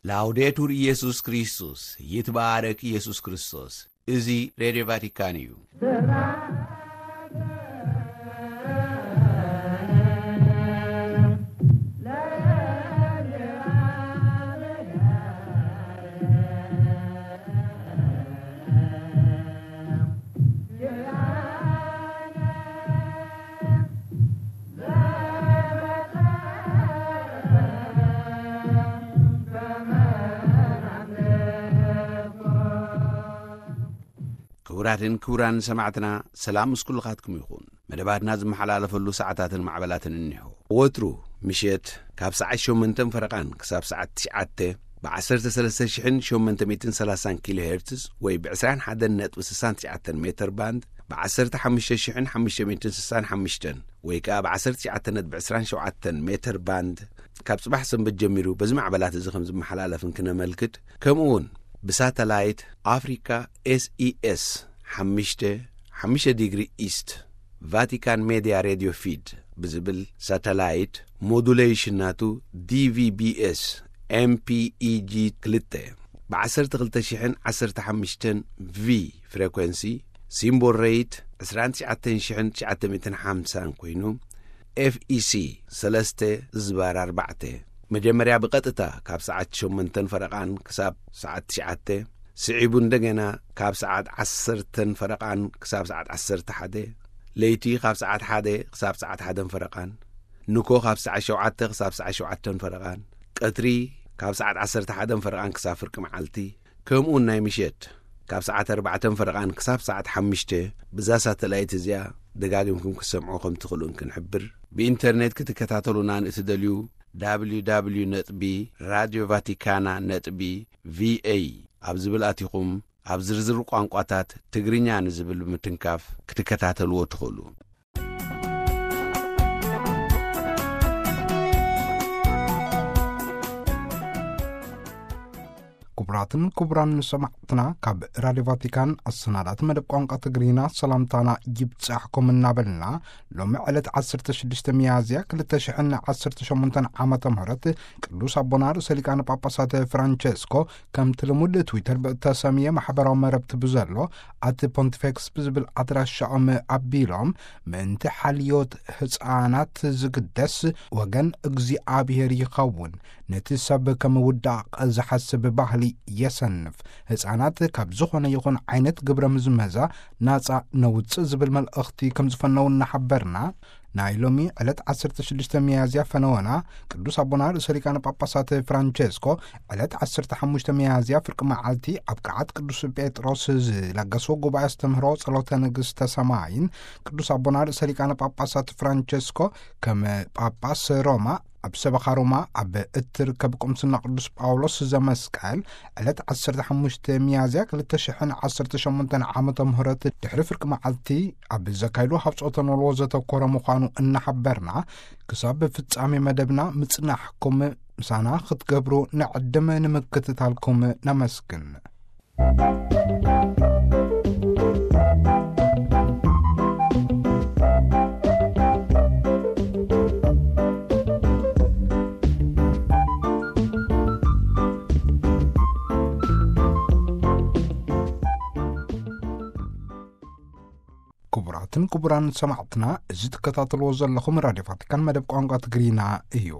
ላውዴቱር ኢየሱስ ክርስቶስ፣ ይትባረክ ኢየሱስ ክርስቶስ። እዚ ሬድዮ ቫቲካን እዩ። ክቡራትን ክቡራን ሰማዕትና፣ ሰላም ምስ ኩልኻትኩም ይኹን። መደባትና ዝመሓላለፈሉ ሰዓታትን ማዕበላትን እኒሆ። ወትሩ ምሸት ካብ ሰዓት ሸሞንተን ፈረቓን ክሳብ ሰዓት ትሽዓተ ብ ዓሰርተ ሰለስተ ሽሕን ሸሞንተ ሚእትን ሰላሳን ኪሎ ሄርትዝ ወይ ብ ዕስራን ሓደን ነጥቢ ስሳን ትሽዓተን ሜተር ባንድ፣ ብ ዓሰርተ ሓሙሽተ ሽሕን ሓሙሽተ ሚእትን ስሳን ሓሙሽተን ወይ ከኣ ብ ዓሰርተ ትሽዓተ ነጥቢ ዕስራን ሸውዓተን ሜተር ባንድ፣ ካብ ጽባሕ ሰንበት ጀሚሩ በዚ ማዕበላት እዚ ከም ዝመሓላለፍን ክነመልክት፣ ከምኡ እውን ብሳተላይት ኣፍሪካ ኤስኢኤስ ሓሙሽተ ሓሙሽተ ዲግሪ ኢስት ቫቲካን ሜድያ ሬድዮ ፊድ ብዝብል ሳተላይት ሞዱሌሽን ናቱ ዲቪቢኤስ ኤምፒኢጂ ክልተ ብ ዓሰርተ ክልተ ሽሕን ዓሰርተ ሓሙሽተን ቪ ፍሬኮንሲ፣ ሲምቦል ሬት ዕስራን ትሽዓተን ሽሕን ትሽዓተ ሚእትን ሓምሳን ኮይኑ፣ ኤፍኢሲ ሰለስተ ዝባር ኣርባዕተ፣ መጀመርያ ብቐጥታ ካብ ሰዓት ሸሞንተን ፈረቓን ክሳብ ሰዓት ትሽዓተ፣ ስዒቡ እንደገና ካብ ሰዓት ዓሰርተን ፈረቓን ክሳብ ሰዓት ዓሰርተ ሓደ፣ ለይቲ ካብ ሰዓት ሓደ ክሳብ ሰዓት ሓደን ፈረቓን፣ ንኮ ካብ ሰዓት ሸውዓተ ክሳብ ሰዓት ሸውዓተን ፈረቓን፣ ቀትሪ ካብ ሰዓት ዓሰርተ ሓደን ፈረቓን ክሳብ ፍርቂ መዓልቲ፣ ከምኡውን ናይ ምሸት ካብ ሰዓት ኣርባዕተን ፈረቓን ክሳብ ሰዓት ሓሙሽተ ብዛ ሳተላይት እዚኣ ደጋጊምኩም ክትሰምዑ ከም ትኽእሉን ክንሕብር። ብኢንተርኔት ክትከታተሉና ንእትደልዩ፣ www ነጥቢ ራድዮ ቫቲካና ነጥቢ ቪኤ ኣብ ዝብል ኣቲኹም፣ ኣብ ዝርዝር ቋንቋታት ትግርኛ ንዝብል ብምትንካፍ ክትከታተልዎ ትኽእሉ። ክቡራትን ክቡራን ሰማዕትና፣ ካብ ራድዮ ቫቲካን ኣሰናዳእቲ መደብ ቋንቋ ትግርኛ ሰላምታና ይብጻሕኩም እናበልና፣ ሎሚ ዕለት ዓሰርተ ሽዱሽተ ሚያዝያ ክልተ ሽሕን ዓሰርተ ሸሞንተን ዓመተ ምህረት ቅዱስ ኣቦና ርእሰ ሊቃነ ጳጳሳት ፍራንቸስኮ፣ ከምቲ ልሙድ ትዊተር ብእተሰምየ ማሕበራዊ መረብቲ ብዘሎ ኣቲ ፖንቲፌክስ ብዝብል ኣድራሻኦም ኣቢሎም፣ ምእንቲ ሓልዮት ህጻናት ዝግደስ ወገን እግዚኣብሔር ይኸውን። ነቲ ሰብ ከም ውዳቕ ዝሓስብ ባህሊ የሰንፍ። ህጻናት ካብ ዝኾነ ይኹን ዓይነት ግብረ ምዝመዛ ናጻ ነውጽእ ዝብል መልእኽቲ ከም ዝፈነው እናሓበርና፣ ናይ ሎሚ ዕለት ዓሰርተ ሽዱሽተ ሚያዝያ ፈነወና ቅዱስ ኣቦና ርእሰ ሊቃነ ጳጳሳት ፍራንቸስኮ ዕለት ዓሰርተ ሓሙሽተ ሚያዝያ ፍርቂ መዓልቲ ኣብ ቅዓት ቅዱስ ጴጥሮስ ዝለገስዎ ጉባኤ ኣስተምህሮ ጸሎተ ንግስተ ሰማይን፣ ቅዱስ ኣቦና ርእሰ ሊቃነ ጳጳሳት ፍራንቸስኮ ከም ጳጳስ ሮማ ኣብ ሰበኻ ሮማ ኣብ እትርከብ ቁምስና ቅዱስ ጳውሎስ ዘመስቀል ዕለት ዓሰርተ ሓሙሽተ ሚያዝያ ክልተ ሽሕን ዓሰርተ ሸሞንተን ዓመተ ምህረት ድሕሪ ፍርቂ መዓልቲ ኣብ ዘካይዶ ሃብጾተ ኖልዎ ዘተኮረ ምዃኑ እናሓበርና፣ ክሳብ ፍጻሜ መደብና ምጽናሕኩም ምሳና ክትገብሩ ንዕድም ንምክትታልኩም ነመስግን። ክቡራትን ክቡራን ሰማዕትና፣ እዚ ትከታተልዎ ዘለኹም ራድዮ ቫቲካን መደብ ቋንቋ ትግርኛ እዩ።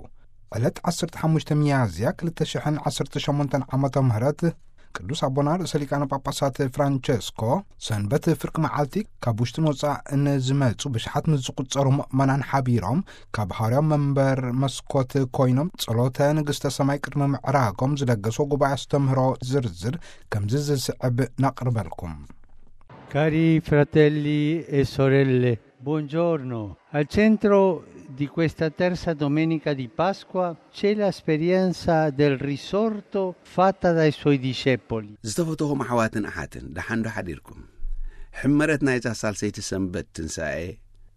ዕለት ዓሰርተ ሓሙሽተ ሚያዝያ ክልተ ሽሕን ዓሰርተ ሸሞንተን ዓመተ ምህረት ቅዱስ ኣቦና ርእሰ ሊቃነ ጳጳሳት ፍራንቸስኮ ሰንበት ፍርቂ መዓልቲ ካብ ውሽጥን ወጻእን ዝመጹ ብሽሓት ምስ ዝቁጸሩ ምእመናን ሓቢሮም ካብ ሃዋርያዊ መንበር መስኮት ኮይኖም ጸሎተ ንግስተ ሰማይ ቅድሚ ምዕራጎም ዝለገስዎ ጉባኤ ኣስተምህሮ ዝርዝር ከምዚ ዝስዕብ ነቕርበልኩም። Cari fratelli e sorelle, buongiorno. Al centro di questa terza domenica di Pasqua c'è l'esperienza del risorto fatta dai suoi discepoli. ዝተፈተኹም ኣሕዋትን ኣሓትን፣ ደሓን ዶ ሓዲርኩም? ሕመረት ናይዛ ሳልሰይቲ ሰንበት ትንሳኤ፣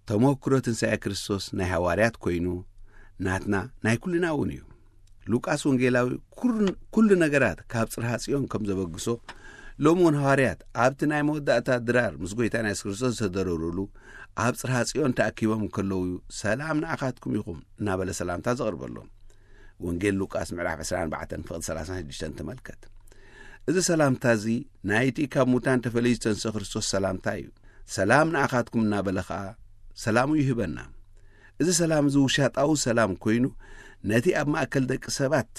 ተመክሮ ትንሳኤ ክርስቶስ ናይ ሃዋርያት ኮይኑ፣ ናትና ናይ ኩልና እውን እዩ። ሉቃስ ወንጌላዊ ኩርን-፣ ኩሉ ነገራት ካብ ጽርሃ ጽዮን ከም ዘበግሶ፣ ሎሚ እውን ሃዋርያት ኣብቲ ናይ መወዳእታ ድራር ምስ ጎይታና የሱስ ክርስቶስ ዝተደረሩሉ ኣብ ጽርሃ ጽዮን ተኣኪቦም እንከለዉ፣ "ሰላም ንኣኻትኩም ይኹም" እናበለ ሰላምታ ዘቕርበሎም። ወንጌል ሉቃስ ምዕራፍ ዕስራን ኣርባዕተን ፍቕዲ ሰላሳን ሽዱሽተን ተመልከት። እዚ ሰላምታ እዚ ናይቲ ካብ ሙታን ተፈለዩ ዝተንስአ ክርስቶስ ሰላምታ እዩ። "ሰላም ንኣኻትኩም" እናበለ ኸኣ ሰላሙ ይህበና። እዚ ሰላም እዚ ውሻጣዊ ሰላም ኮይኑ፣ ነቲ ኣብ ማእከል ደቂ ሰባት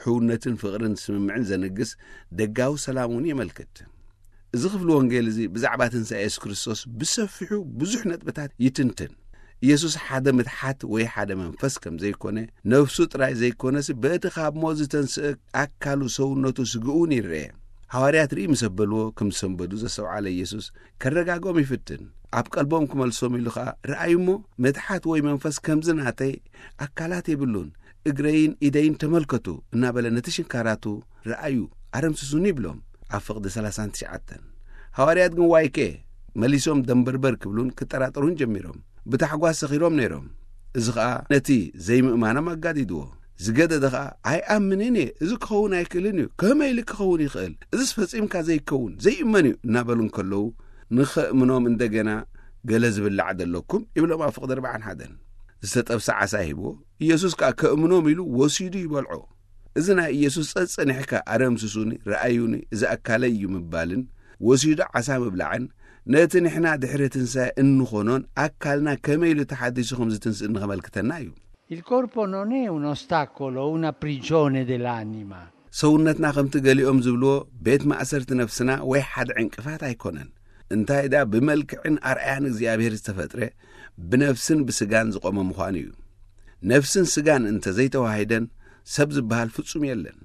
ሕውነትን ፍቕርን ስምምዕን ዘንግስ ደጋዊ ሰላም እውን የመልክት። እዚ ክፍሊ ወንጌል እዚ ብዛዕባ ትንሳኤ የሱስ ክርስቶስ ብሰፊሑ ብዙሕ ነጥብታት ይትንትን። ኢየሱስ ሓደ ምትሓት ወይ ሓደ መንፈስ ከም ዘይኮነ፣ ነፍሱ ጥራይ ዘይኮነስ፣ በቲ ካብ ሞት ዝተንስአ ኣካሉ፣ ሰውነቱ፣ ስግኡ እውን ይረአ። ሃዋርያት ርኢ ምስ ኣበልዎ ከም ዝሰንበዱ ዘስተውዓለ ኢየሱስ፣ ከረጋግኦም ይፍትን። ኣብ ቀልቦም ክመልሶም ኢሉ ኸኣ፣ "ረኣዩ እሞ፣ ምትሓት ወይ መንፈስ ከምዚ ናተይ ኣካላት የብሉን። እግረይን ኢደይን ተመልከቱ" እናበለ ነቲ ሽንካራቱ "ረኣዩ፣ ኣረምስሱኒ" ይብሎም። ኣብ ፍቕዲ ሰላሳን ትሽዓተን። ሃዋርያት ግን ዋይከ መሊሶም ደንበርበር ክብሉን ክጠራጠሩን ጀሚሮም። ብታሕጓስ ሰኺሮም ነይሮም። እዚ ኸኣ ነቲ ዘይምእማኖም ኣጋዲድዎ። ዝገደደ ኸኣ "ኣይኣምንን እየ፣ እዚ ክኸውን ኣይክእልን እዩ፣ ከመይ ኢሉ ክኸውን ይኽእል? እዚስ ፈጺምካ ዘይከውን፣ ዘይእመን እዩ" እናበሉ እንከለዉ፣ ንኸእምኖም እንደገና "ገለ ዝብላዕ ደለኩም?" ይብሎም ኣብ ፍቕዲ ኣርባዓን ሓደን። ዝተጠብሰ ዓሳ ሂብዎ፣ ኢየሱስ ከኣ ከእምኖም ኢሉ ወሲዱ ይበልዖ። እዚ ናይ ኢየሱስ "ጸጸኒሕካ ኣረምስሱኒ፣ ረኣዩኒ፣ እዚ ኣካለይ እዩ" ምባልን ወሲዱ ዓሳ ምብላዕን፣ ነቲ ንሕና ድሕሪ ትንሳኤ እንኾኖን ኣካልና ከመይ ኢሉ ተሓዲሱ ከም ዝትንስእ ንኸመልክተና እዩ። Il corpo non è un ostacolo o una prigione dell'anima. ሰውነትና ከምቲ ገሊኦም ዝብልዎ ቤት ማእሰርቲ ነፍስና ወይ ሓደ ዕንቅፋት ኣይኮነን። እንታይ ደኣ ብመልክዕን ኣርኣያን እግዚኣብሔር ዝተፈጥረ ብነፍስን ብስጋን ዝቖመ ምዃኑ እዩ። ነፍስን ስጋን እንተ ዘይተዋሂደን ሰብ ዝበሃል ፍጹም የለን።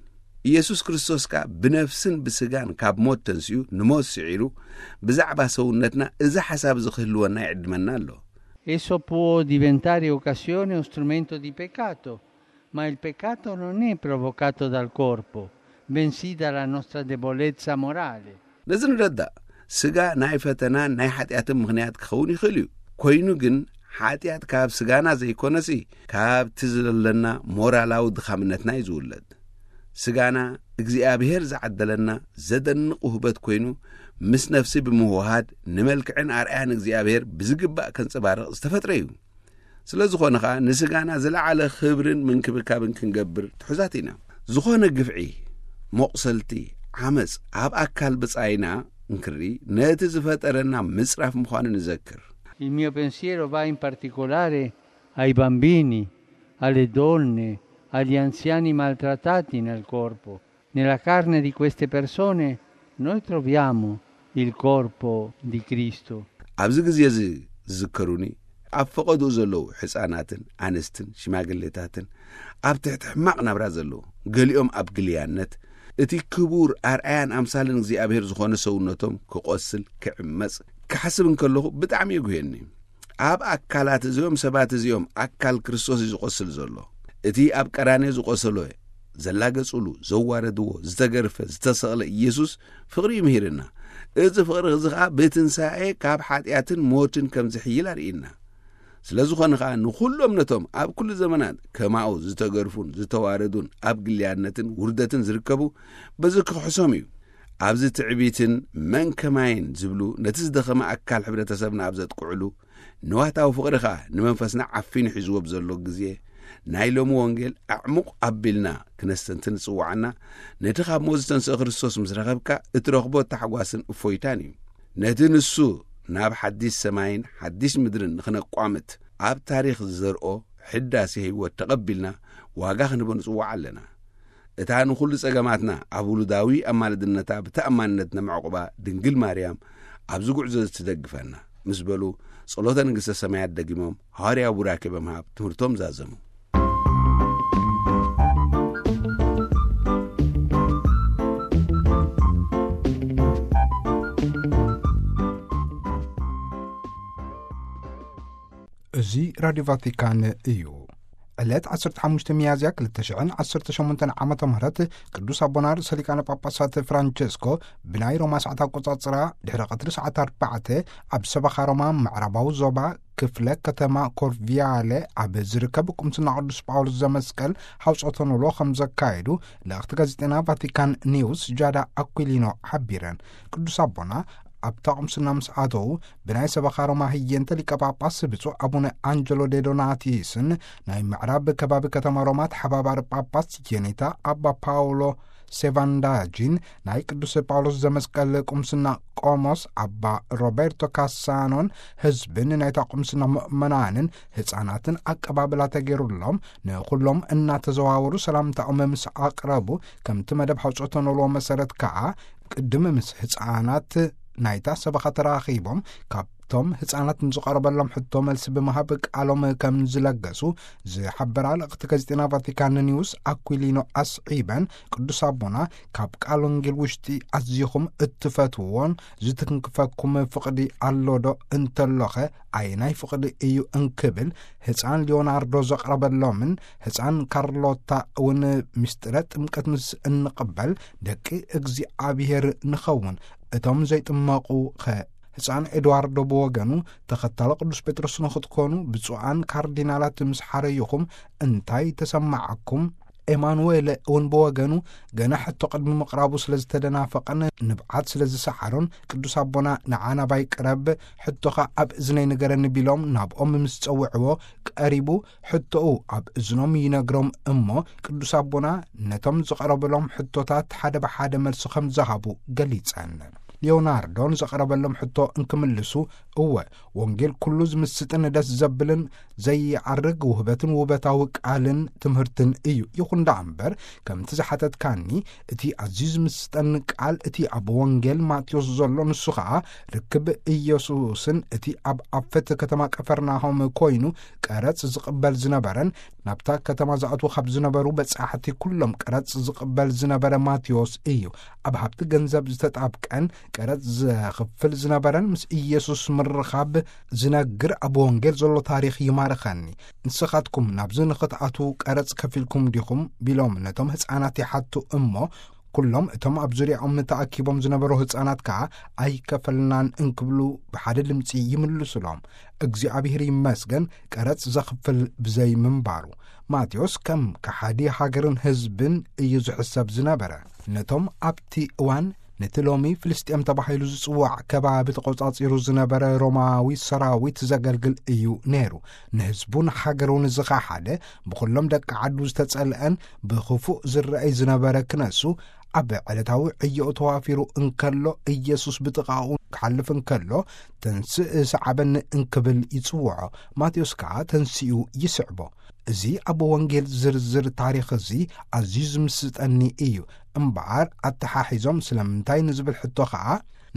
ኢየሱስ ክርስቶስ ከኣ ብነፍስን ብስጋን ካብ ሞት ተንሲኡ ንሞት ስዒሩ ብዛዕባ ሰውነትና እዚ ሓሳብ እዚ ክህልወና ይዕድመና ኣሎ። Esso può diventare occasione o strumento di peccato, ma il peccato non è provocato dal corpo, bensì dalla nostra debolezza morale. ነዚ ንረዳእ። ስጋ ናይ ፈተናን ናይ ሓጢኣትን ምኽንያት ክኸውን ይኽእል እዩ። ኮይኑ ግን ሓጢኣት ካብ ስጋና ዘይኮነሲ ካብቲ ዘለና ሞራላዊ ድኻምነትና እዩ ዝውለድ። ስጋና እግዚኣብሔር ዝዓደለና ዘደንቕ ውህበት ኮይኑ ምስ ነፍሲ ብምውሃድ ንመልክዕን ኣርኣያን እግዚኣብሔር ብዝግባእ ከንጸባርቕ ዝተፈጥረ እዩ። ስለ ዝኾነ ኸኣ ንስጋና ዝለዓለ ክብርን ምንክብካብን ክንገብር ትሑዛት ኢና። ዝኾነ ግፍዒ፣ መቑሰልቲ፣ ዓመጽ ኣብ ኣካል ብጻይና እንክሪ ነቲ ዝፈጠረና ምጽራፍ ምዃኑ ንዘክር። Il mio pensiero va in particolare ai bambini, alle donne, agli anziani maltrattati nel corpo. Nella carne di queste persone noi troviamo il corpo di Cristo. ኣብዚ ግዜ እዚ ዝዝከሩኒ ኣብ ፈቐድኡ ዘለዉ ሕፃናትን ኣንስትን ሽማግሌታትን ኣብ ትሕቲ ሕማቕ ናብራ ዘለዉ፣ ገሊኦም ኣብ ግልያነት፣ እቲ ክቡር ኣርኣያን ኣምሳልን እግዚኣብሔር ዝኾነ ሰውነቶም ክቖስል፣ ክዕመጽ ክሓስብ እንከለኹ ብጣዕሚ የጉህየኒ። ኣብ ኣካላት እዚኦም ሰባት እዚኦም ኣካል ክርስቶስ እዩ ዝቖስል ዘሎ። እቲ ኣብ ቀራንዮ ዝቖሰሎ፣ ዘላገጹሉ፣ ዘዋረድዎ፣ ዝተገርፈ፣ ዝተሰቕለ ኢየሱስ ፍቕሪ እዩ ምሂርና። እዚ ፍቕሪ እዚ ኸኣ ብትንሳኤ ካብ ሓጢኣትን ሞትን ከም ዝሕይል ኣርእይና። ስለ ዝኾነ ኸኣ ንኹሎም ነቶም ኣብ ኩሉ ዘመናት ከማኡ ዝተገርፉን ዝተዋረዱን ኣብ ግልያነትን ውርደትን ዝርከቡ በዚ ክኽሕሶም እዩ። ኣብዚ ትዕቢትን መን ከማይን ዝብሉ ነቲ ዝደኸመ ኣካል ሕብረተሰብና ኣብ ዘጥቅዕሉ፣ ንዋታዊ ፍቕሪ ኸኣ ንመንፈስና ዓፊኑ ሒዝዎ ብዘሎ ግዜ፣ ናይ ሎሚ ወንጌል ኣዕሙቕ ኣቢልና ክነስተንትን ዝጽውዓና፣ ነቲ ካብ ሞት ዝተንስአ ክርስቶስ ምስ ረኸብካ እትረኽቦ ታሕጓስን እፎይታን እዩ። ነቲ ንሱ ናብ ሓዲስ ሰማይን ሓዲስ ምድርን ንኽነቋምት ኣብ ታሪኽ ዝዘርኦ ሕዳሴ ህይወት ተቐቢልና ዋጋ ክንህቦ ንጽዋዕ ኣለና። እታ ንኹሉ ጸገማትና ኣብ ውሉዳዊ ኣማልድነታ ብተኣማንነት ነመዕቑባ ድንግል ማርያም ኣብዚ ጉዕዞ እዚ ትደግፈና ምስ በሉ ጸሎተ ንግስተ ሰማያት ደጊሞም ሃዋርያዊ ቡራኬ ብምሃብ ትምህርቶም ዛዘሙ። እዚ ራድዮ ቫቲካን እዩ። ዕለት ዓሰርተ ሓሙሽተ ሚያዝያ ክልተ ሽሕን ዓሰርተ ሸሞንተን ዓመተ ምህረት ቅዱስ ኣቦና ርእሰ ሊቃነ ጳጳሳት ፍራንቸስኮ ብናይ ሮማ ሰዓት ኣቆጻጽራ ድሕሪ ቀትሪ ሰዓት ኣርባዕተ ኣብ ሰበኻ ሮማ ምዕራባዊ ዞባ ክፍለ ከተማ ኮርቪያለ ኣብ ዝርከብ ቁምስና ቅዱስ ጳውሎስ ዘመስቀል ሓውጾተ ኖሎ ከም ዘካየዱ ልእኽቲ ጋዜጠና ቫቲካን ኒውስ ጃዳ ኣኩሊኖ ሓቢረን። ቅዱስ ኣቦና ኣብታ ቁምስና ምስ ኣተዉ፣ ብናይ ሰበኻ ሮማ ህየንተ ሊቀ ጳጳስ ብፁዕ ኣቡነ ኣንጀሎ ዴዶናቲስን ናይ ምዕራብ ከባቢ ከተማ ሮማ ተሓባባሪ ጳጳስ ጄኔታ ኣባ ፓውሎ ሴቫንዳጂን፣ ናይ ቅዱስ ጳውሎስ ዘመስቀል ቁምስና ቆሞስ ኣባ ሮቤርቶ ካሳኖን ህዝብን ናይታ ቁምስና ምእመናንን ህፃናትን ኣቀባብላ ተገይሩሎም፣ ንኹሎም እናተዘዋወሩ ሰላምታኦም ምስ ኣቕረቡ፣ ከምቲ መደብ ሓውጾ ተነልዎ መሰረት ከኣ፣ ቅድም ምስ ህፃናት ናይታ ሰበኻ ተራኺቦም፣ ካብቶም ህፃናት ንዝቐረበሎም ሕቶ መልሲ ብምሃብ ቃሎም ከም ዝለገሱ ዝሓበራ ልእኽቲ ጋዜጠና ቫቲካን ኒውስ ኣኩሊኖ ኣስዒበን፣ ቅዱስ ኣቦና ካብ ቃል ወንጌል ውሽጢ ኣዝኹም እትፈትውዎን ዝትንክፈኩም ፍቕዲ ኣሎዶ እንተሎኸ ኣየናይ ፍቕዲ እዩ እንክብል ህፃን ሊዮናርዶ ዘቕረበሎምን ህፃን ካርሎታ እውን ምስጢረ ጥምቀት ምስ እንቕበል ደቂ እግዚኣብሔር ንኸውን፣ እቶም ዘይጥመቑ ኸ? ህፃን ኤድዋርዶ ብወገኑ፣ ተኸታሎ ቅዱስ ጴጥሮስ ንኽትኮኑ ብፁዓን ካርዲናላት ምስ ሓረይኹም እንታይ ተሰማዓኩም? ኤማኑዌለ እውን ብወገኑ፣ ገና ሕቶ ቅድሚ ምቕራቡ ስለ ዝተደናፈቐን ንብዓት ስለ ዝሰዓሮን፣ ቅዱስ ኣቦና ንዓ ናባይ ቅረብ፣ ሕቶኻ ኣብ እዝነይ ንገረኒ ቢሎም ናብኦም ምስ ጸውዕዎ፣ ቀሪቡ ሕቶኡ ኣብ እዝኖም ይነግሮም እሞ፣ ቅዱስ ኣቦና ነቶም ዝቐረበሎም ሕቶታት ሓደ ብሓደ መልሲ ከም ዝሃቡ ገሊጸን። ሊዮናርዶ ንዘቐረበሎም ሕቶ እንክምልሱ፣ እወ፣ ወንጌል ኩሉ ዝምስጥን ደስ ዘብልን ዘይዓርግ ውህበትን ውበታዊ ቃልን ትምህርትን እዩ። ይኹን ደኣ እምበር፣ ከምቲ ዝሓተትካኒ፣ እቲ ኣዝዩ ዝምስጠኒ ቃል፣ እቲ ኣብ ወንጌል ማቴዎስ ዘሎ፣ ንሱ ኸኣ ርክብ ኢየሱስን እቲ ኣብ ኣፈት ከተማ ቀፈርናሆም ኮይኑ ቀረጽ ዝቕበል ዝነበረን፣ ናብታ ከተማ ዝኣትዉ ካብ ዝነበሩ በጻሕቲ ኩሎም ቀረጽ ዝቕበል ዝነበረ ማቴዎስ እዩ። ኣብ ሃብቲ ገንዘብ ዝተጣብቀን ቀረጽ ዘኽፍል ዝነበረን ምስ ኢየሱስ ምርኻብ ዝነግር ኣብ ወንጌል ዘሎ ታሪኽ ይማርኸኒ። ንስኻትኩም ናብዚ ንኽትኣትዉ ቀረጽ ከፊልኩም ዲኹም? ቢሎም ነቶም ህፃናት ይሓቱ እሞ፣ ኩሎም እቶም ኣብ ዙርያኦም ተኣኪቦም ዝነበሩ ህፃናት ከኣ ኣይከፈልናን እንክብሉ ብሓደ ድምፂ ይምልሱሎም። እግዚኣብሔር ይመስገን፣ ቀረጽ ዘኽፍል ብዘይ ምንባሩ። ማቴዎስ ከም ከሓዲ ሃገርን ህዝብን እዩ ዝሕሰብ ዝነበረ። ነቶም ኣብቲ እዋን ነቲ ሎሚ ፍልስጤም ተባሂሉ ዝጽዋዕ ከባቢ ተቖጻጺሩ ዝነበረ ሮማዊ ሰራዊት ዘገልግል እዩ ነይሩ። ንህዝቡን ሃገሩን ዝኸሓደ፣ ብኹሎም ደቂ ዓዱ ዝተጸልአን ብኽፉእ ዝረኣይ ዝነበረ ክነሱ፣ ኣብ ዕለታዊ ዕዮኡ ተዋፊሩ እንከሎ፣ ኢየሱስ ብጥቓኡ ክሓልፍ እንከሎ፣ "ተንስእ፣ ሰዓበኒ" እንክብል ይጽውዖ። ማቴዎስ ከኣ ተንሲኡ ይስዕቦ። እዚ ኣብ ወንጌል ዝርዝር ታሪኽ እዚ ኣዝዩ ዝምስጠኒ እዩ። እምበኣር፣ ኣተሓሒዞም ስለምንታይ ንዝብል ሕቶ ኸኣ፣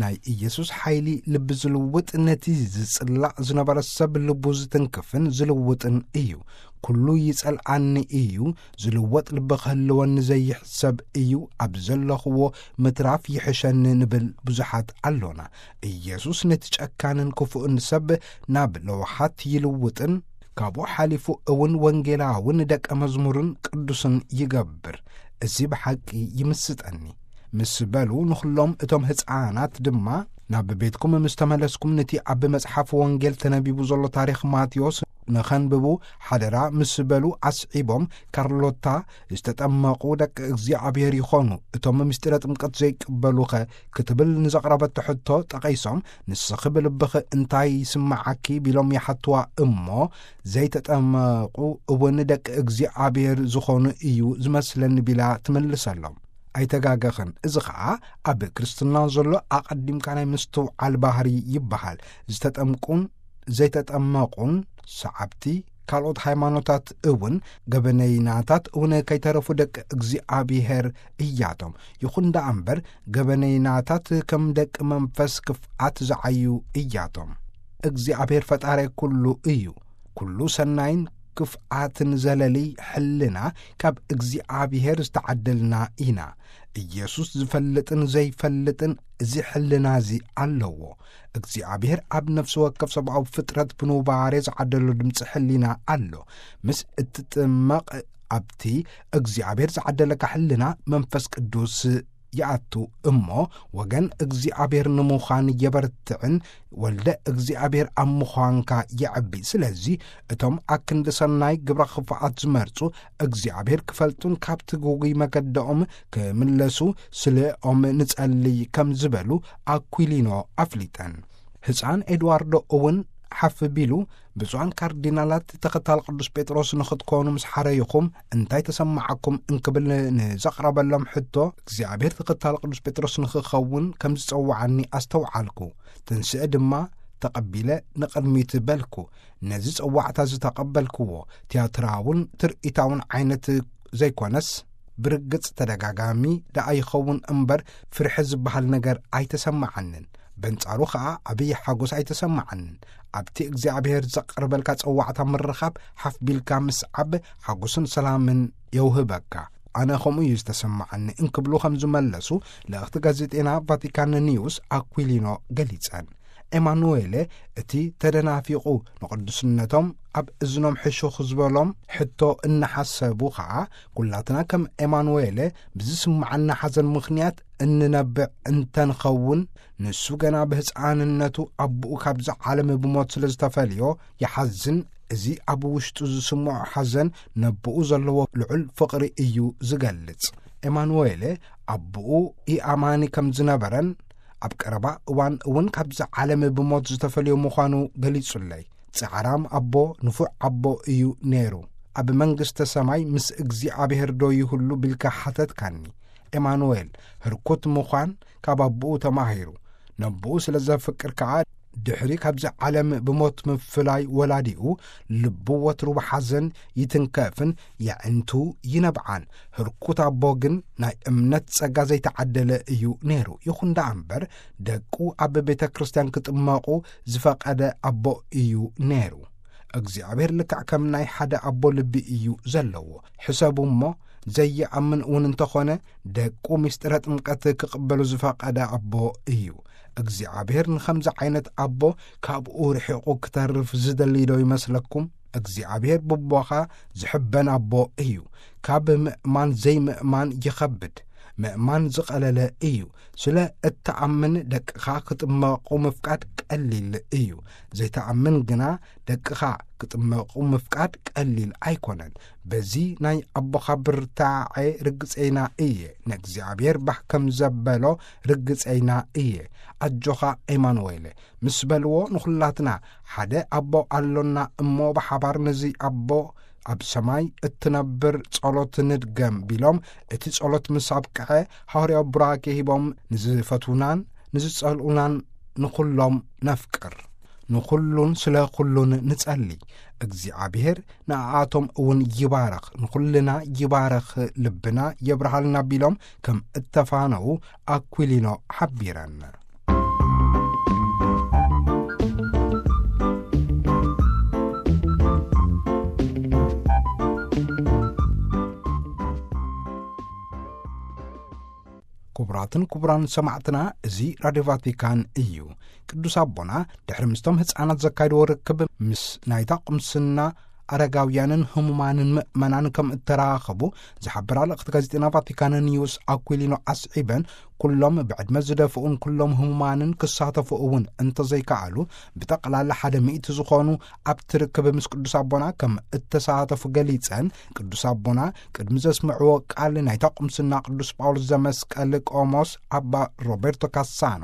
ናይ ኢየሱስ ሓይሊ ልቢ ዝልውጥ፣ ነቲ ዝጽላእ ዝነበረ ሰብ ልቡ ዝትንክፍን ዝልውጥን እዩ። "ኩሉ ይጸልኣኒ እዩ፣ ዝልወጥ ልቢ ክህልወኒ ዘይሕሰብ እዩ፣ ኣብ ዘለኽዎ ምትራፍ ይሕሸኒ" ንብል ብዙሓት ኣሎና። ኢየሱስ ነቲ ጨካንን ክፉእን ሰብ ናብ ለውሃት ይልውጥን፣ ካብኡ ሓሊፉ እውን ወንጌላውን ደቀ መዝሙርን ቅዱስን ይገብር። እዚ ብሓቂ ይምስጠኒ። ምስ በሉ፣ ንኹሎም እቶም ህፃናት ድማ፣ "ናብ ቤትኩም ምስ ተመለስኩም፣ ነቲ ኣብ መጽሓፍ ወንጌል ተነቢቡ ዘሎ ታሪኽ ማቴዎስ ንኸንብቡ ሓደራ" ምስ በሉ ኣስዒቦም፣ "ካርሎታ ዝተጠመቑ ደቂ እግዚኣብሔር ይኾኑ፣ እቶም ምስጢረ ጥምቀት ዘይቅበሉኸ?" ክትብል ንዘቕረበቶ ሕቶ ጠቒሶም፣ "ንስኺ ብልብኺ እንታይ ይስምዓኪ?" ቢሎም ይሓትዋ እሞ፣ "ዘይተጠመቑ እውን ደቂ እግዚኣብሔር ዝኾኑ እዩ ዝመስለኒ" ቢላ ትምልሰሎም። ኣይተጋገኽን። እዚ ኸኣ ኣብ ክርስትና ዘሎ ኣቐዲምካ ናይ ምስትውዓል ባህሪ ይበሃል። ዝተጠምቁን ዘይተጠመቑን ሰዓብቲ ካልኦት ሃይማኖታት እውን፣ ገበነይናታት እውን ከይተረፉ ደቂ እግዚኣብሔር እያቶም። ይኹን ደኣ እምበር፣ ገበነይናታት ከም ደቂ መንፈስ ክፍኣት ዝዓዩ እያቶም። እግዚኣብሔር ፈጣሪ ኩሉ እዩ። ኩሉ ሰናይን ክፍኣትን ዘለሊ ሕልና ካብ እግዚኣብሔር ዝተዓደልና ኢና። ኢየሱስ ዝፈልጥን ዘይፈልጥን እዚ ሕልና እዚ ኣለዎ። እግዚኣብሔር ኣብ ነፍሲ ወከፍ ሰብኣዊ ፍጥረት ብኑባሬ ዝዓደሎ ድምፂ ሕሊና ኣሎ። ምስ እትጥመቕ፣ ኣብቲ እግዚኣብሔር ዝዓደለካ ሕልና መንፈስ ቅዱስ ይኣቱ እሞ፣ ወገን እግዚኣብሔር ንምዃን የበርትዕን ወልደ እግዚኣብሔር ኣብ ምዃንካ የዕቢ። ስለዚ እቶም ኣክንዲ ሰናይ ግብረ ክፍኣት ዝመርጹ እግዚኣብሔር ክፈልጡን ካብቲ ግጉይ መገደኦም ክምለሱ ስለኦም ንጸልይ ከም ዝበሉ ኣኩሊኖ ኣፍሊጠን። ህፃን ኤድዋርዶ እውን ሓፍ ቢሉ፣ ብፁዓን ካርዲናላት ተኸታል ቅዱስ ጴጥሮስ ንኽትኮኑ ምስ ሓረይኹም እንታይ ተሰማዓኩም እንክብል ንዘቕረበሎም ሕቶ፣ እግዚኣብሔር ተኸታል ቅዱስ ጴጥሮስ ንኽኸውን ከም ዝጸውዓኒ ኣስተውዓልኩ። ትንስእ ድማ ተቐቢለ ንቕድሚት በልኩ። ነዚ ጸዋዕታ ዝተቐበልክዎ ትያትራውን ትርኢታውን ዓይነት ዘይኮነስ፣ ብርግጽ ተደጋጋሚ ደኣ ይኸውን እምበር፣ ፍርሒ ዝበሃል ነገር ኣይተሰማዓንን። በንጻሩ ኸኣ ዓብዪ ሓጎስ ኣይተሰማዓንን። ኣብቲ እግዚኣብሔር ዘቕርበልካ ጸዋዕታ ምርኻብ፣ ሓፍ ቢልካ ምስዓብ ሓጎስን ሰላምን የውህበካ። ኣነ ከምኡ እዩ ዝተሰማዓኒ እንክብሉ ከም ዝመለሱ ልእኽቲ ጋዜጤና ቫቲካን ኒውስ ኣኩሊኖ ገሊጸን። ኤማኑዌለ እቲ ተደናፊቑ ንቕዱስነቶም ኣብ እዝኖም ሕሹኽ ዝበሎም ሕቶ እናሓሰቡ ኸኣ፣ ኩላትና ከም ኤማኑዌለ ብዝስምዓና ሓዘን ምኽንያት እንነብዕ እንተንኸውን፣ ንሱ ገና ብህፃንነቱ ኣቦኡ ካብዚ ዓለም ብሞት ስለ ዝተፈልዮ ይሓዝን። እዚ ኣብ ውሽጡ ዝስምዖ ሓዘን ነቦኡ ዘለዎ ልዑል ፍቕሪ እዩ ዝገልጽ። ኤማኑዌለ ኣቦኡ ኢኣማኒ ከም ዝነበረን ኣብ ቀረባ እዋን እውን ካብዚ ዓለም ብሞት ዝተፈልዮ ምዃኑ ገሊጹለይ። ጻዕራም ኣቦ፣ ንፉዕ ኣቦ እዩ ነይሩ። ኣብ መንግስተ ሰማይ ምስ እግዚኣብሔር ዶ ይህሉ ቢልካ ሓተትካኒ። ኤማኑኤል፣ ህርኩት ምዃን ካብ ኣቦኡ ተማሂሩ። ነቦኡ ስለ ዘፍቅር ከኣ፣ ድሕሪ ካብዚ ዓለም ብሞት ምፍላይ ወላዲኡ፣ ልቡ ወትሩ ብሓዘን ይትንከፍን የዕንቱ ይነብዓን። ህርኩት ኣቦ ግን ናይ እምነት ጸጋ ዘይተዓደለ እዩ ነይሩ። ይኹን ደኣ እምበር፣ ደቁ ኣብ ቤተ ክርስቲያን ክጥመቑ ዝፈቐደ ኣቦ እዩ ነይሩ። እግዚኣብሔር ልክዕ ከም ናይ ሓደ ኣቦ ልቢ እዩ ዘለዎ። ሕሰቡ እሞ፣ ዘይኣምን እውን እንተኾነ፣ ደቁ ምስጢረ ጥምቀት ክቕበሉ ዝፈቐደ ኣቦ እዩ። እግዚኣብሔር ንኸምዚ ዓይነት ኣቦ ካብኡ ርሒቑ ክተርፍ ዝደሊ ዶ ይመስለኩም? እግዚኣብሔር ብቦኻ ዝሕበን ኣቦ እዩ። ካብ ምእማን ዘይምእማን ይኸብድ። ምእማን ዝቐለለ እዩ። ስለ እትኣምን ደቅኻ ክጥመቑ ምፍቃድ ቀሊል እዩ። ዘይትኣምን ግና ደቅኻ ክጥመቑ ምፍቃድ ቀሊል ኣይኮነን። በዚ ናይ ኣቦኻ ብርታዐ ርግጸይና እየ። ንእግዚኣብሔር ባህ ከም ዘበሎ ርግጸይና እየ። ኣጆኻ ኤማኑኤል ምስ በልዎ፣ ንኹላትና ሓደ ኣቦ ኣሎና እሞ፣ ብሓባር ነዚ ኣቦ ኣብ ሰማይ እትነብር ጸሎት ንድገም ቢሎም፣ እቲ ጸሎት ምስ ኣብቅዐ፣ ሃዋርያዊ ቡራኬ ሂቦም፣ ንዝፈትዉናን ንዝጸልኡናን ንኹሎም ነፍቅር። ንኹሉን ስለ ኹሉን ንጸሊ። እግዚኣብሔር ንኣኣቶም እውን ይባረኽ፣ ንኹልና ይባረኽ፣ ልብና የብርሃልና ቢሎም ከም እተፋነዉ ኣኩሊኖ ሓቢረን። ክቡራትን ክቡራን ሰማዕትና፣ እዚ ራድዮ ቫቲካን እዩ። ቅዱስ ኣቦና ድሕሪ ምስቶም ህፃናት ዘካይድዎ ርክብ፣ ምስ ናይታ ቁምስና ኣረጋውያንን ህሙማንን ምእመናን ከም እተራኸቡ ዝሓበራ ልእኽቲ ጋዜጠና ቫቲካን ኒውስ ኣኩሊኖ ኣስዒበን፣ ኩሎም ብዕድመ ዝደፍኡን ኩሎም ህሙማንን ክሳተፉ እውን እንተዘይከኣሉ፣ ብጠቕላላ ሓደ ሚእቲ ዝኾኑ ኣብቲ ርክብ ምስ ቅዱስ ኣቦና ከም እተሳተፉ ገሊጸን፣ ቅዱስ ኣቦና ቅድሚ ዘስምዕዎ ቃል ናይታ ቁምስና ቅዱስ ጳውሎስ ዘመስቀል ቆሞስ ኣባ ሮቤርቶ ካሳኖ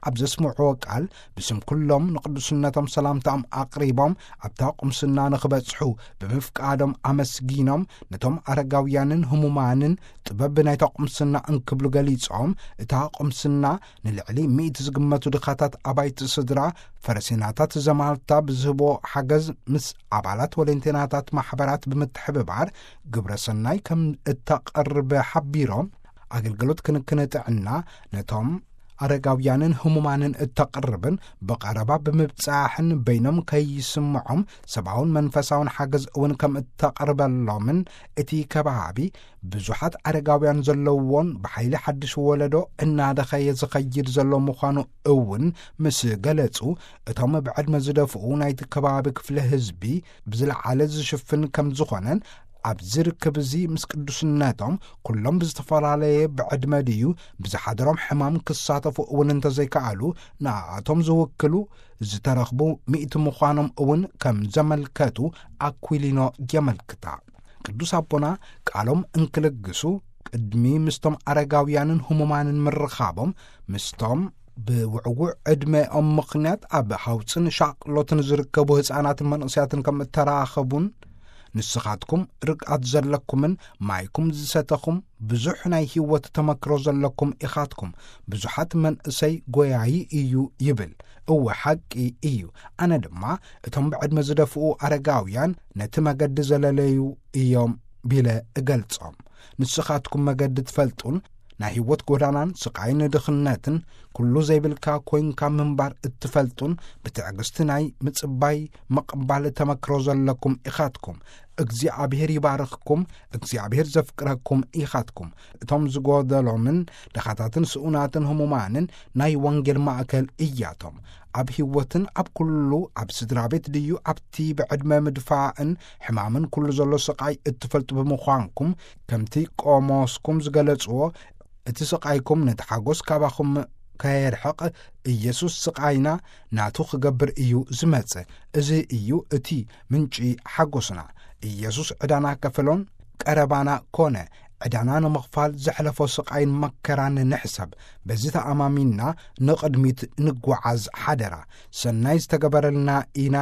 ኣብ ዘስምዕዎ ቃል፣ ብስም ኩሎም ንቅዱስነቶም ሰላምታኦም ኣቕሪቦም፣ ኣብታ ቁምስና ንኽበጽሑ ብምፍቃዶም ኣመስጊኖም፣ ነቶም ኣረጋውያንን ህሙማንን ጥበብ ናይታ ቁምስና እንክብሉ ገሊጾም፣ እታ ቁምስና ንልዕሊ ሚእቲ ዝግመቱ ድኻታት ኣባይቲ ስድራ፣ ፈረሴናታት ዘማልታ ብዝህቦ ሓገዝ ምስ ኣባላት ወለንቴናታት ማሕበራት ብምትሕብባር ግብረ ሰናይ ከም እተቐርብ ሓቢሮም፣ ኣገልግሎት ክንክን ጥዕና ነቶም ኣረጋውያንን ህሙማንን እተቕርብን ብቐረባ ብምብጻሕን በይኖም ከይስምዖም ሰብኣውን መንፈሳውን ሓገዝ እውን ከም እተቕርበሎምን፣ እቲ ከባቢ ብዙሓት ኣረጋውያን ዘለውዎን ብሓይሊ ሓድሽ ወለዶ እናደኸየ ዝኸይድ ዘሎ ምዃኑ እውን ምስ ገለጹ፣ እቶም ብዕድመ ዝደፍኡ ናይቲ ከባቢ ክፍሊ ህዝቢ ብዝለዓለ ዝሽፍን ከም ዝኾነን፣ ኣብዚ ርክብ እዚ ምስ ቅዱስነቶም፣ ኩሎም ብዝተፈላለየ ብዕድመ ድዩ ብዝሓደሮም ሕማም ክሳተፉ እውን እንተዘይከኣሉ፣ ንኣቶም ዝውክሉ ዝተረኽቡ ሚእቲ ምዃኖም እውን ከም ዘመልከቱ ኣኩሊኖ የመልክታ። ቅዱስ ኣቦና ቃሎም እንክልግሱ፣ ቅድሚ ምስቶም ኣረጋውያንን ህሙማንን ምርኻቦም፣ ምስቶም ብውዕዉዕ ዕድመኦም ምኽንያት ኣብ ሃውፅን ሻቕሎትን ዝርከቡ ህፃናትን መንእሰያትን ከም እተራኸቡን፣ ንስኻትኩም ርግኣት ዘለኩምን ማይኩም ዝሰተኹም ብዙሕ ናይ ህይወት ተመክሮ ዘለኩም ኢኻትኩም። ብዙሓት መንእሰይ ጎያዪ እዩ ይብል። እወ፣ ሓቂ እዩ። ኣነ ድማ እቶም ብዕድመ ዝደፍኡ ኣረጋውያን ነቲ መገዲ ዘለለዩ እዮም ቢለ እገልጾም። ንስኻትኩም መገዲ ትፈልጡን ናይ ህይወት ጎዳናን ስቓይን ድኽነትን ኩሉ ዘይብልካ ኮይንካ ምንባር እትፈልጡን ብትዕግስቲ ናይ ምጽባይ ምቕባል ተመክሮ ዘለኩም ኢኻትኩም። እግዚኣብሔር ይባርኽኩም። እግዚኣብሔር ዘፍቅረኩም ኢኻትኩም። እቶም ዝጎደሎምን ድኻታትን ስኡናትን ህሙማንን ናይ ወንጌል ማእከል እያቶም። ኣብ ህይወትን ኣብ ኩሉ፣ ኣብ ስድራ ቤት ድዩ ኣብቲ ብዕድመ ምድፋእን ሕማምን ኩሉ ዘሎ ስቓይ እትፈልጡ ብምዃንኩም፣ ከምቲ ቆሞስኩም ዝገለጽዎ፣ እቲ ስቓይኩም ነቲ ሓጎስ ካባኹም ከየርሕቕ፣ ኢየሱስ ስቓይና ናቱ ክገብር እዩ ዝመጽእ። እዚ እዩ እቲ ምንጪ ሓጎስና። ኢየሱስ ዕዳና ከፈሎን ቀረባና ኮነ። ዕዳና ንምኽፋል ዘሕለፎ ስቓይን መከራን ንሕሰብ። በዚ ተኣማሚንና ንቕድሚት ንጓዓዝ ሓደራ። ሰናይ ዝተገበረልና ኢና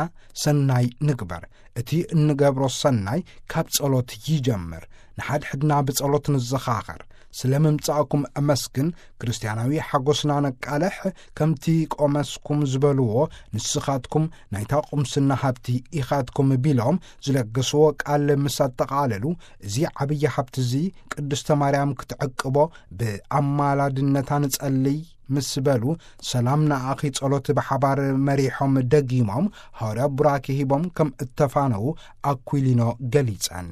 ሰናይ ንግበር። እቲ እንገብሮ ሰናይ ካብ ጸሎት ይጀምር። ንሓድሕድና ብጸሎት ንዘኻኸር። ስለ ምምጻእኩም እመስግን፣ ክርስትያናዊ ሓጎስና ነቃልሕ፣ ከምቲ ቆመስኩም ዝበልዎ፣ ንስኻትኩም ናይታ ቁምስና ሃብቲ ኢኻትኩም ቢሎም ዝለገስዎ ቃል ምስ ኣጠቓለሉ፣ እዚ ዓብዪ ሃብቲ እዚ ቅድስተ ማርያም ክትዕቅቦ ብኣማላድነታ ንጸልይ ምስ በሉ፣ ሰላም ንኣኺ ጸሎት ብሓባር መሪሖም ደጊሞም፣ ሃዋርያ ቡራኬ ሂቦም ከም እተፋነዉ ኣኩሊኖ ገሊጸን።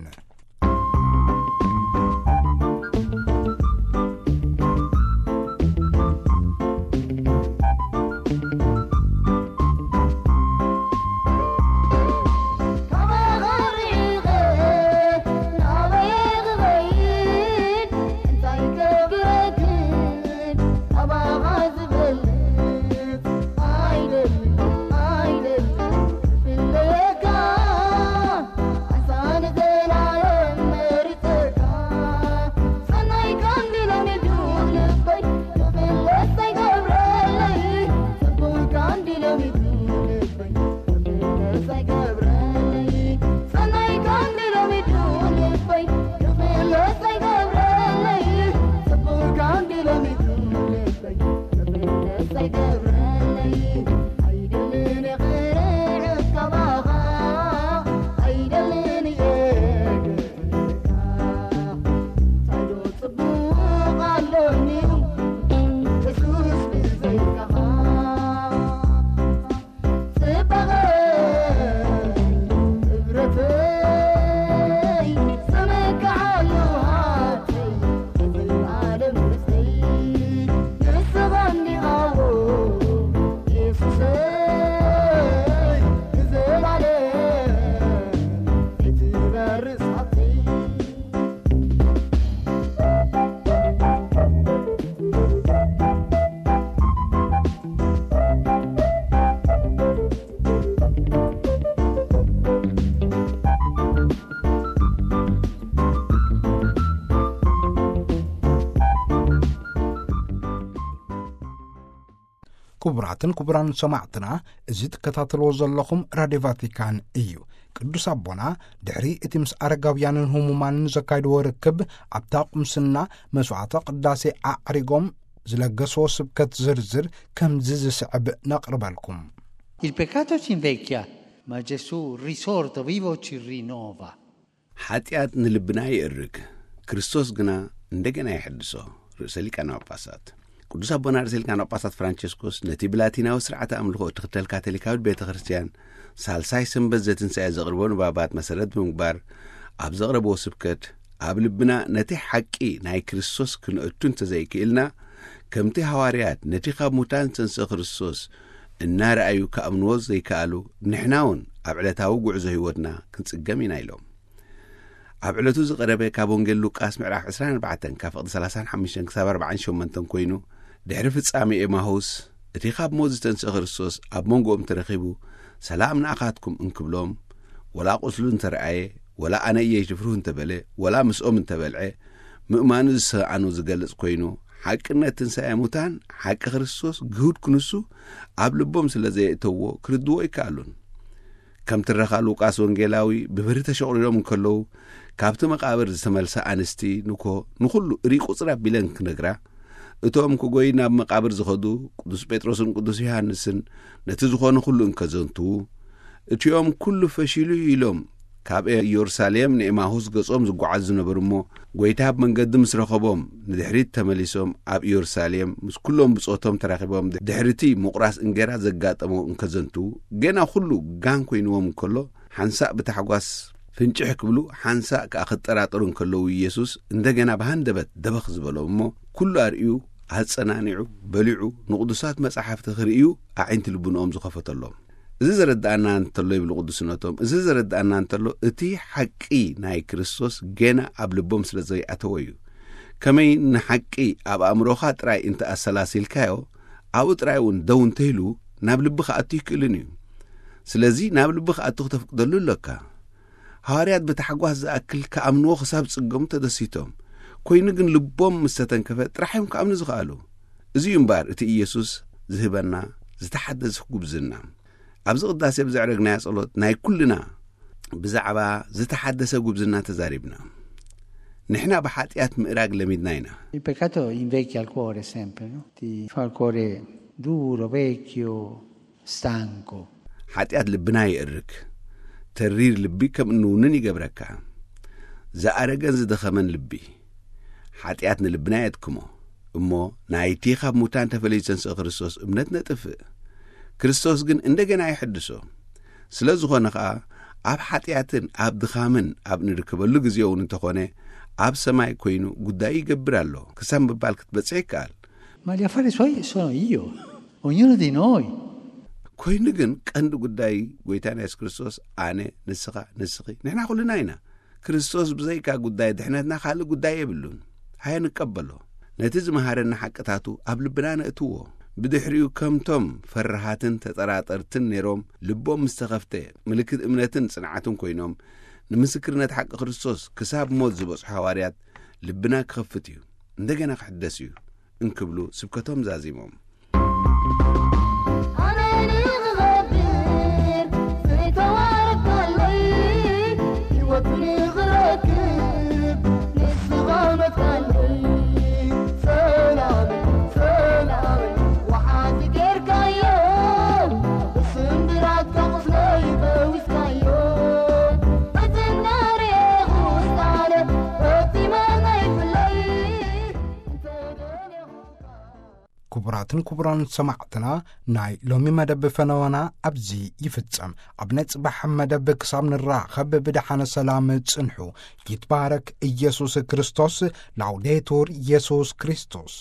ክቡራትን ክቡራን ሰማዕትና፣ እዚ ትከታተልዎ ዘለኹም ራድዮ ቫቲካን እዩ። ቅዱስ ኣቦና ድሕሪ እቲ ምስ ኣረጋውያንን ህሙማንን ዘካይድዎ ርክብ፣ ኣብታ ቁምስና መስዋዕተ ቅዳሴ ኣዕሪጎም ዝለገስዎ ስብከት ዝርዝር ከምዚ ዝስዕብ ነቕርበልኩም። Il peccato ci invecchia, ma Gesù risorto, vivo ci rinnova. ሓጢኣት ንልብና ይእርግ፣ ክርስቶስ ግና እንደገና ይሕድሶ። ርእሰ ሊቃነ ጳጳሳት። ቅዱስ ኣቦና ርእሰ ሊቃነ ጳጳሳት ፍራንቸስኮስ ነቲ ብላቲናዊ ስርዓተ ኣምልኾ እትኽተል ካቶሊካዊት ቤተ ክርስቲያን፣ ሳልሳይ ሰንበት ዘትንሳኤ ዘቕርቦ ንባባት መሰረት ብምግባር፣ ኣብ ዘቕረብዎ ስብከት፣ ኣብ ልብና ነቲ ሓቂ ናይ ክርስቶስ ክነእቱ እንተዘይክእልና፣ ከምቲ ሃዋርያት ነቲ ካብ ሙታን ዝተንስአ ክርስቶስ እናረኣዩ ክኣምንዎ ዘይከኣሉ፣ ንሕና እውን ኣብ ዕለታዊ ጉዕዞ ህይወትና ክንጽገም ኢና ኢሎም። ኣብ ዕለቱ ዝቐረበ ካብ ወንጌል ሉቃስ ምዕራፍ ዕስራን ኣርባዕተን ካብ ፍቕዲ ሰላሳን ሓሙሽተን ክሳብ ኣርባዓን ሸሞንተን ኮይኑ፣ ድሕሪ ፍጻሜ ኤማሁስ፣ እቲ ካብ ሞት ዝተንስአ ክርስቶስ ኣብ መንጎኦም ተረኺቡ፣ "ሰላም ንኣኻትኩም" እንክብሎም፣ ወላ ቁስሉ እንተረኣየ፣ ወላ "ኣነ እየ" ይፍርሁ እንተበለ፣ ወላ ምስኦም እንተበልዐ፣ ምእማኑ ዝሰኣኑ ዝገልጽ ኮይኑ፣ ሓቅነት ትንሳኤ ሙታን፣ ሓቂ ክርስቶስ፣ ግሁድ ክንሱ ኣብ ልቦም ስለ ዘየእተዎ፣ ክርድዎ ኣይከኣሉን። ከም ትረኻ ሉቃስ ወንጌላዊ ብብሪ ተሸቑሪሮም እንከለዉ፣ ካብቲ መቓብር ዝተመልሳ ኣንስቲ ንኮ ንኹሉ እሪ ቁጽር ኣቢለን ክነግራ፣ እቶም ክጎይ ናብ መቓብር ዝኸዱ ቅዱስ ጴጥሮስን ቅዱስ ዮሃንስን ነቲ ዝኾነ ኩሉ እንከዘንትዉ፣ እቲኦም ኩሉ ፈሺሉ ኢሎም ካብ ኢየሩሳሌም ንኤማሁስ ገጾም ዝጓዓዙ ዝነበሩ እሞ፣ ጎይታ ኣብ መንገዲ ምስ ረኸቦም ንድሕሪት ተመሊሶም ኣብ ኢየሩሳሌም ምስ ኩሎም ብጾቶም ተራኺቦም ድሕሪቲ ምቑራስ እንጌራ ዘጋጠሞ እንከዘንትዉ፣ ገና ኩሉ ጋን ኮይንዎም እንከሎ፣ ሓንሳእ ብታሕጓስ ፍንጭሕ ክብሉ፣ ሓንሳእ ከኣ ክጠራጠሩ እንከለዉ፣ ኢየሱስ እንደገና ብሃንደበት ደበኽ ዝበሎም እሞ፣ ኩሉ ኣርእዩ፣ ኣጸናኒዑ፣ በሊዑ፣ ንቕዱሳት መጻሕፍቲ ክርእዩ ኣዒንቲ ልቡንኦም ዝኸፈተሎም። እዚ ዘረድኣና እንተሎ፣ ይብሉ ቅዱስነቶም፣ እዚ ዘረድኣና እንተሎ፣ እቲ ሓቂ ናይ ክርስቶስ ገና ኣብ ልቦም ስለ ዘይኣተወ እዩ። ከመይ ንሓቂ ኣብ ኣእምሮኻ ጥራይ እንተ ኣሰላሲልካዮ፣ ኣብኡ ጥራይ እውን ደው እንተኢሉ፣ ናብ ልቢ ክኣቱ ይክእልን እዩ። ስለዚ ናብ ልቢ ክኣቱ ክተፍቅደሉ ኣለካ። ሃዋርያት ብታሕጓስ ዝኣክል ክኣምንዎ ክሳብ ጽገሙ ተደሲቶም። ኮይኑ ግን ልቦም ምስ ተተንከፈ ጥራሕ እዮም ክኣምኑ ዝኸኣሉ። እዚ እዩ እምበኣር እቲ ኢየሱስ ዝህበና ዝተሓደሰ ጉብዝና። ኣብዚ ቅዳሴ ብዘዕረግናዮ ጸሎት ናይ ኩልና ብዛዕባ ዝተሓደሰ ጉብዝና ተዛሪብና። ንሕና ብሓጢኣት ምእራግ ለሚድና ኢና። Il peccato invecchia il cuore sempre, no? Ti fa il cuore duro, vecchio, stanco. ሓጢኣት ልብና የእርግ። ተሪር ልቢ ከም እንውንን ይገብረካ። ዝኣረገን ዝደኸመን ልቢ። ሓጢኣት ንልብና የድክሞ። እሞ ናይቲ ካብ ሙታን ተፈለዩ ዝተንስአ ክርስቶስ እምነት ነጥፍእ። ክርስቶስ ግን እንደገና ይሕድሶ። ስለ ዝኾነ ኸኣ፣ ኣብ ሓጢኣትን ኣብ ድኻምን ኣብ ንርከበሉ ግዜ እውን እንተኾነ፣ ኣብ ሰማይ ኮይኑ ጉዳዩ ይገብር ኣሎ ክሳብ ምባል ክትበጽሕ ይከኣል። Ma gli affari suoi sono io, ognuno di noi. ኮይኑ ግን ቀንዲ ጉዳይ ጎይታና የሱስ ክርስቶስ ኣነ፣ ንስኻ፣ ንስኺ፣ ንሕና ኩልና ኢና። ክርስቶስ ብዘይካ ጉዳይ ድሕነትና ካልእ ጉዳይ የብሉን። ሃየ ንቀበሎ። ነቲ ዝመሃረና ሓቅታቱ ኣብ ልብና ነእትዎ። ብድሕሪኡ ከምቶም ፈራሃትን ተጠራጠርትን ነይሮም ልቦም ምስ ተኸፍተ፣ ምልክት እምነትን ጽንዓትን ኮይኖም፣ ንምስክርነት ሓቂ ክርስቶስ ክሳብ ሞት ዝበጽሑ ሃዋርያት ልብና ክኸፍት እዩ፣ እንደገና ክሕደስ እዩ እንክብሉ ስብከቶም ዛዚሞም። ኣነ ንኽኸብር ዝተዋረድካለይ፣ ህይወት ንኽረክብ ንስኻ መትካለይ። ሰላም፣ ሰላም፣ ወሓዚ ጌርካዮ፣ ብስምብራትካ ቁስለይ ፈዊስካዮ። በዘናርየ ውሳነ ፈጺመ ዘይፍለይ፣ እንተደለኹካ። ክቡራትን ክቡራን ሰማዕትና፣ ናይ ሎሚ መደብ ፈነወና ኣብዚ ይፍጸም። ኣብ ናይ ጽባሕ መደብ ክሳብ ንራኸብ ብደሓነ ሰላም ጽንሑ። ይትባረክ ኢየሱስ ክርስቶስ። ላውዴቱር ኢየሱስ ክርስቶስ።